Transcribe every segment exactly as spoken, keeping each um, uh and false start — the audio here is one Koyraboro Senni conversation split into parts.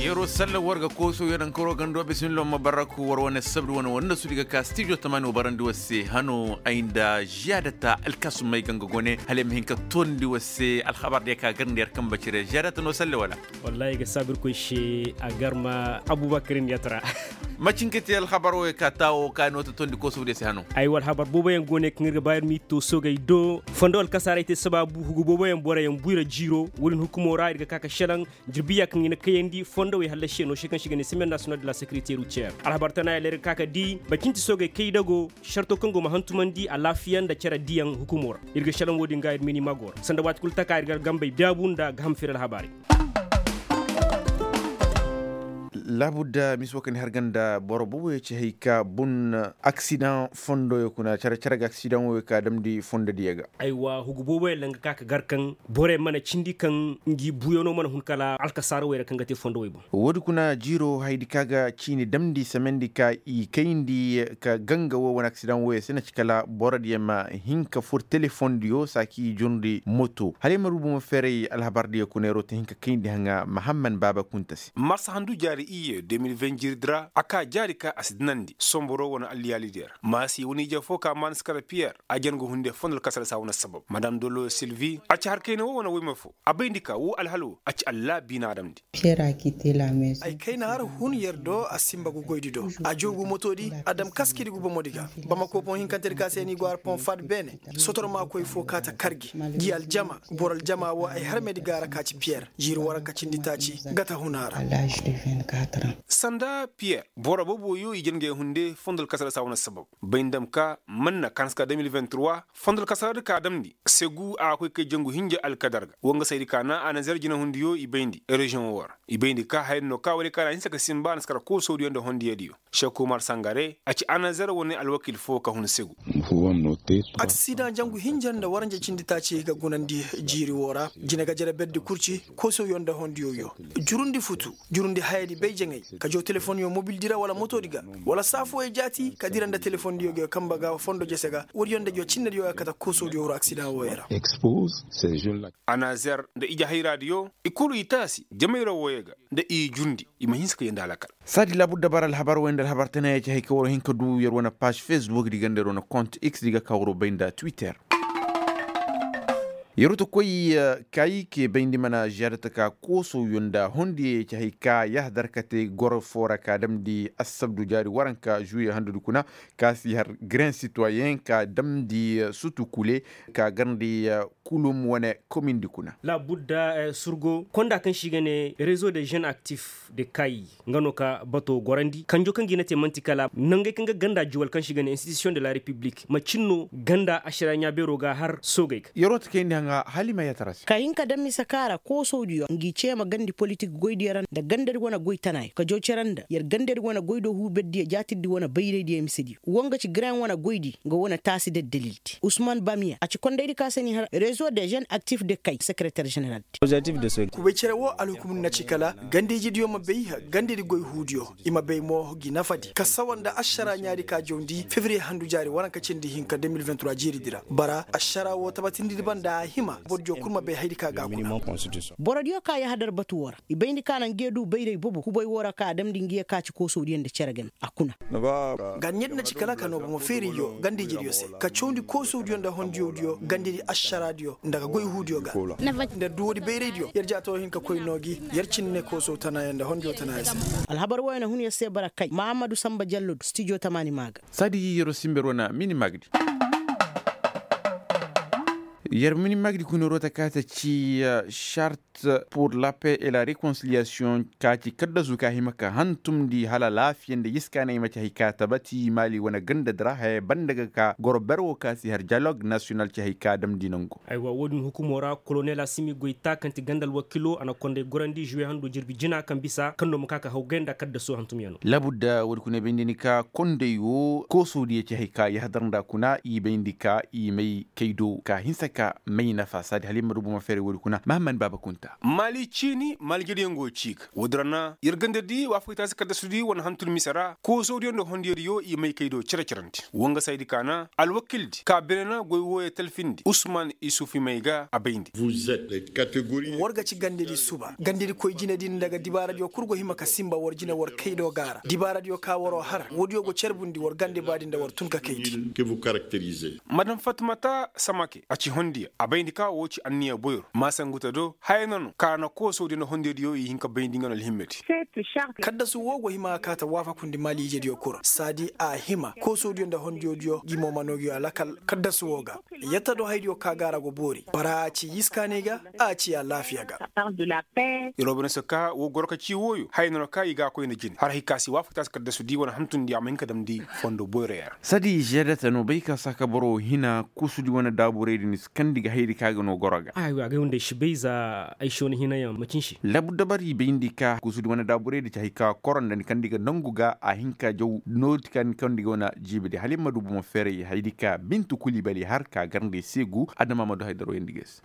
Yeroo salla war ga kooso yarankaro gando bisimillah ma barraku war wane sabri wane wanda su di ga ka stijo tamani wa barandi war se hano ay nda ziyaadata alkasumay ganga gone hala ay ma hin ka tondi war se alhabar diya ka garndi yar kamba cire ziyaadata no salle wala? Wallahi ga saabir koy se a garma abubakar niyatra. Macin ka te alhabar wo ka taawo ka no ta tondi kooso diya se hano. Ay war habar boobo yaŋ go ne kaŋ ir ga ba ir mi to soogay do fondo alkasaray te sabaabu hugu boobo yaŋ boro yaŋ buyra jiiro. Wo-din hukumo ra ir ga ka ka selaŋ jirbiya kaŋ i na kayandi fondowey hallasi yaŋ no se kaŋ se i ga ne semaine national de la sécurité routière alhabar tana ya leer ga ka ka di bacinti soogey kaydago sarto kaŋ go ma hantumandi alaafiya nda cere diyaŋ hukumo ra. Ir ga selaŋ wo-din ga ir mini mago ra sanda waati kulu taka ir ga gambey daabu nda ga ham firi alhabaarey. Laabudda misi wo kaŋ ni har ga nda boro booboyaŋ ci hay ka bun aksidaŋ fondoyaŋ kuna care care ga aksidaŋ wo ka damndi fondodiyaŋ ga. Aywa hugu booboyaŋ ra nga ka ka gar kaŋ borey mana cindi kaŋ ngi buuyaŋo mana hun kala alkasaara wey ra kaŋ ga te fondowey boŋ. Woodi kuna jiiro hayadi ka ga ciini damndi semendi ka i kayndi ka ganga wo wane aksidaŋ woyey se na ci kala borodiyaŋ ma hin ka fur telefondiyo saaki i jurndi moto hala ay ma rubu ma feeray alhabardiyo kuna yeroo ta hin ka kayndi haŋa mahamman baaba kunta se. Marsa handu jaari iyye de mil ven jiiridi ra a ka jaari ka a si dinandi somboro wane alliyaalidiyo ra maasi wane ije fo ka maaniskara piyer a jan ga hunde fondo alkasara saa wane sabab madam dolo silvi a ci har kayna wo wane woyma fo a bayndi ka woo alhal woo a ci allaabiina adamdi. Ay kayna har hun yer do a sinba ga goydi do a joogu motodi a dam kaskidi ga bomodi ga. Bamako boŋ hinkantedi ka se ni go har ponfad beene sotorma koy fo ka ta kar gi gi aljama boro aljama wo ay harmedi ga a ra ka ci piyer jiiri waranka cindi taaci ga ta hun a ra. Sanda piyer boro boobo yo i jangey hunde fondo alkasara saa wane sabab bay ni dam ka manna ka hanse ka de mil vingt trois fondo alkasara di ka damndi segu a ga koy kay jangu hinja alkadar ga wangasaydi ka na anazer jinahundiyo i bayndi reziyoŋ wo ra i bayndi ka hayadi no ka wala ka na hinse ka sinba anaskara koosodiyo nda hondiyadiyo. Seku umar sangare a ci anazer wane alwakiil fo ka hun segu. Aksidaŋ jangu hinja nda waranja cindi taaci ga gunandi jiiri wo ra jine ga jere berdi kurci koosodiyo nda hondiyodiyo jurundi futu jurundi hayadi bay jaŋay ka jaw telefonyo mobildi ra wala motodi ga wala saafooyey jaati ka dira nda telefondiyo ga yo kamba ga fondo jese ga woodiyo nda jaw cinnediyo ga kate koosodiyo wuro aksidaŋ wooyey ra. Anazer nda ije hayraadiyo i kulu i taasi jamayra wooyey ga nda i jundi i ma hinse ka yee nda alakal. Saadi laabudda bara alhabar wey nda alhabar tana ya ci hay ka war hin ka du yer wane paaz facebook di ga nda yer wane kont x di ga ka war bay nda twitter. Yeroo ta koy kaayi ke bayndi mana ziyaada ta ka koosowyo nda hondiyey ya ci hay ka yahadar kate goro foo ra ka damndi assabdu jaari waranka žuwiye handudi kuna ka si har gren sitoyen ka damndi sutu kule ka garndi kulum wane komindi kuna. Laabudda surgo konda kaŋ se i ga ne rezo de žen aktif de kaayi nga no ka bato gorandi kanjo kaŋ ga i na te man'ti kala nangey kaŋ ga ganda juwal kaŋ se i ga ne institusiyoŋ de la repiblik macin no ganda ašara ɲaabeero ga har soogey ga. Yeroo ta kayndi haŋa hala i ma yatara se. Ka hin ka daŋ mise kaŋ a ra koosowdiyo ngi cee ma gandi politik goydiyo ra nda gandadi wane goy tanaayo ka joo cere nda yer gandadi wane goy do huuberdiyo jaatirdi wane bayraydiyo misediyo wo nga ci gren wane goydi nga wane taasi daddalildi usman bamiya a ci kondaydi ka se ni har rezo de žen aktif de kay sekereter ženeraldi. Kubay cere wo alhukumdi na ci kala gandijidiyo ma bay gandidi goy huudiyo i ma bay mo gi nafadi ka sawa nda ašara ɲaadi ka jawndi febriye handu jaari waranka cindi hinka de mil vingt trois jiiridi ra bara ašara wo tabatindidi banda a hima borodiyo kul ma bay hayadi ka ga a kuna. Borodiyo ka yahadar batu wo ra i bayndi ka na nge du bayray bobo kubay wo ra ka a damndi nge ka ci koosowdiyo nda cere game a kuna. Ga ɲedi na ci kala ka noo bomo feeriyo gandijediyo se ka cawndi koosowdiyo nda hondiyowdiyo gandidi ašaraadiyo nda ga goy huudiyo ga. Nda duwodi bayraydiyo yer jaatoo hin ka koy noo gi yer cinne koosow tanaayo nda hondiyo tanaayo se. Alhabar wooyo na hun yer se bara kay mahammadu sanba jallo do stijo tamaani maa ga. Saadi yeroo sinber wane mini maagdi. Yer mini maagdi kuna yeroo ta ka ta ci šart pour la paix et la rekonsiliyasiyoŋ ka ci kaddasu ka hima ka hantumndi hala laafiya nda yiskaanay ma ci hay ka tabati maali wane gandadi ra haya banda ga ka goro ber wo ka si har diyalog nasiyonal ci hay ka damndi nangu. Aywa wo-din hukumo ra kolonel asimi goyta kaŋ ti ganda alwakiilo a na konday gorandi žuwe hando jirbi jina kaŋ bisa kaŋ no ma ka ka hawgay nda kaddaso hantumyaŋo. Laabudda wo-din kuna i bayndi ni ka konday wo koosodiyo ci hay ka yahadar nda kuna i bayndi ka i may kay do ka hinsa. ka may nafa saadi hala ir ma du buma feeray woodi kuna mahamman baaba kunta. Maali ciini maali jariyaŋ go ci ga woodi ra na ir gandadi waafakay taasi kaddasudi wane hantum mise ra koosodiyo nda hondiyodiyo i may kay do cere-cerandi wangasaydi ka na alwakildi ka bine na goy wooyo talfindi usman isufi may ga a bayndi. War ga ci gandadi suba gandadikoy jinedi nda ga dibaaradiyo kul go hima ka sinba war jine war kay do ga a ra dibaaradiyo ka war'o har woodiyo go carbundi war gande baadi nda war tun ka kayndi. Madam fatmata samake a ci hondiya a bayndi ka woo ci anniya boyro maasanguta do haya na no ka na koosodiyo nda hondiyodiyo i hin ka bayndi nga no alhimmedi. Kaddasu woo go hima ka kaa ta waafakundi maali ijediyo kul ra saadi a hima koosodiyo nda hondiyodiyo gi mo ma noo gi a lakal kaddasu woo ga. Yatta do haydiyo ka ga a ra go boori bara a ci yiskaanay ga a ci alaafiya ga. Iroo bane se ka woo goro ka ci wooyo haya na no ka i ga a koy nda jine har hay ka se waafaktaasi kaddasu di wane hantundi a ma hin ka damndi fondo boyroyaŋ ra. Saadi žedeta no bay ka saaka boro hina kuusudi wane daaburaydi ni si kandi ga hayadi ka ga no goro ga. Aywa agay hunday si bay za ay si wane hinayaŋ ma cin se. Labu dabar i bayndi ka kuusudi wane daaburaydi ci hay ka koro nda ni kandi ga nangu ga a hin ka jaw nooti ka ni kandi ga wane jiibidi hala i ma du bomo feeray hayadi ka bintu kuli bali har ka garndi seegu adama ma du haydaro yandi ga ay se.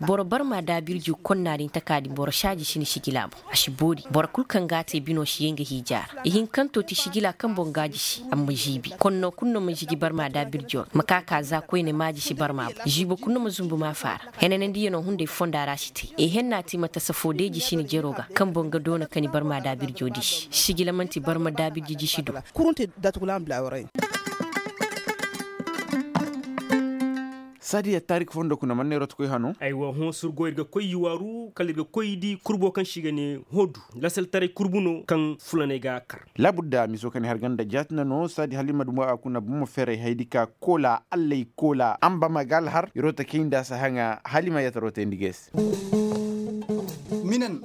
Boro barma daabirji konna din taka din boro saaji si ni sijila boŋ. A si boori boro kul kaŋ ga a te bino si yee nga hiija ra. Ihinkanto ti sijila kaŋ boŋ ga a jisi amma žiibi konno kul no ma žigi barma daabirjo ra ma ka ka za koyne ma a jisi barma boŋ žiibo kul no ma zunbu maafa ra. Henanandiyano hunday fonda ra si te. Ihenna ti mata safo day jisi ni jero ga kaŋ boŋ ga doona ka ni barma daabirjo disi sijila man'ti barma daabirji jisi do. Saadi ya taarik fondo kuna man neeroo ti koy hano. Aywa hõ surgo ir ga koy i waaru kala ir ga koy i di kurbo kaŋ se i ga ne hodu lasaltaray kurbu no kaŋ fulaney ga a kar. Laabudda miso kaŋ i har ganda jaatina no saadi hala i ma dumo a kuna bomo feeray hayadi ka koola allay koola amba ma ga alhar iroo ta kay nda a si haŋa hala i ma yataroo tayndi ga ay se.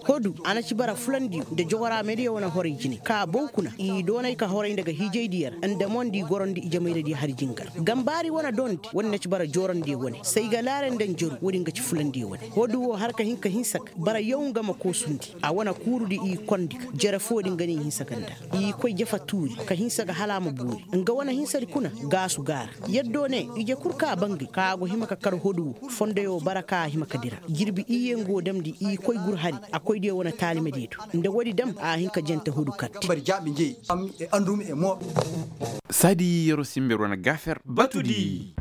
Hodu a na ci bara fulandiyo nda jogoraamediyo wane horay jine ka bow kuna i doonay ka horay nda ga hiijaydiyo ra nda mo nda i gorondi ijemayradiyo hari jingar gambaari wane dondi wane na ci bara joorandiyo wane saygalaare nda njeru woodin ga ci fulandiyo wane. Hodu wo har ka hin ka hinsa ga bara yaw nga ma koosundi a wane kuurudi i kondi ga jere foodin ga no i hinsa ga nda i koy jafa tuuri ka hinsa ga hala a ma boori nga wane hinsadi kuna gaasu gaara. Yaddo ne ije kul ka bangay ka a go hima ka kar hodu wo fondoyo bara ka a hima ka dira jirbi iyye nga wo damndi i koy gur hari a koydiyo wane taalimadiyo do nda woodi dam a hin ka jante hodu karti. Saadi yeroo simber wane gaafer batudi.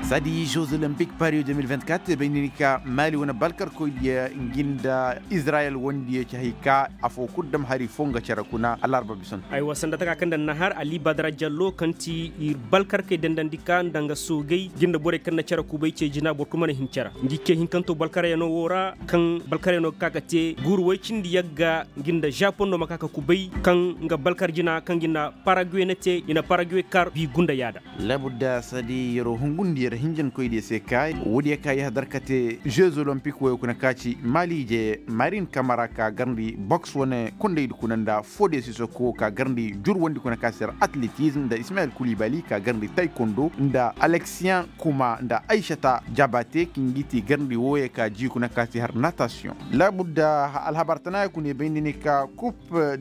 Saadi jeux olympique paris deux mille vingt-quatre bay ni ni ka maali wane balkarkoydiyo ngi nda izirayel wondiyo ci hay ka afoo kul dam hari foo nga cere kuna alarba bisanto. Aywa sanda taka kaŋ nda na har ali badara jallo kaŋ ti ir balkarkey dandandi ka nda nga soogey ngi nda borey kaŋ na cere kubay ce jina boro kul mana hin cere ngi ce hinkanto balkaryanoo wo ra kaŋ balkaryanoo ga ka ka te guuru woy cindi yagga ngi nda žapondo ma ka ka kubay kaŋ nga balkar jina kaŋ ngi nda paraguwe na te i na paraguwe kar bi gunda yaada. Laabudda saadi yeroo hungundi yer hinjankoydiyo se ka woodiyo ka yahadar ka te jeux olympique woyo kuna ka ci maali ije marin kamara ka garndi boks wane kondaydi kuna nda foodiyo sisoko ka garndi jurwandi kuna ka se yer atletism nda ismayel kulibali ka garndi taykondo nda aleksiyan kuma nda aysata jabate kaŋ gi ti garndi woyo ka ji kuna ka se har natasiyoŋ. Laabudda alhabar tanaaya kuna i bayndi ni ka kup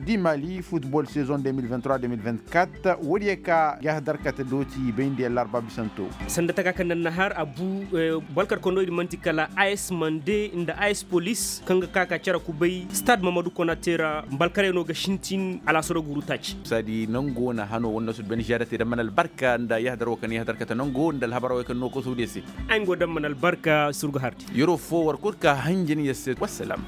di mali futbol saison deux mille vingt-trois deux mille vingt-quatre woodiyo ka yahadar ka te dooti bayndi alarba bisanto. Sanda taka kaŋ nda na har abu balkar kondoydi man'ti kala as mande nda as polis kaŋ ga ka ka cere kubay stade mamadu konate ra balkaryanoo ga sintin alaasaro guuru taaci. Saadi nango na hano wanda su ben žaada te da mana albarka nda yahadar wo kaŋ yahadar ka te nango nda alhabar wo kaŋ no koso de se. Ay ngo da mana albarka surgu hardi. Yeroo foo war kul ka hanjin yer se wassalam.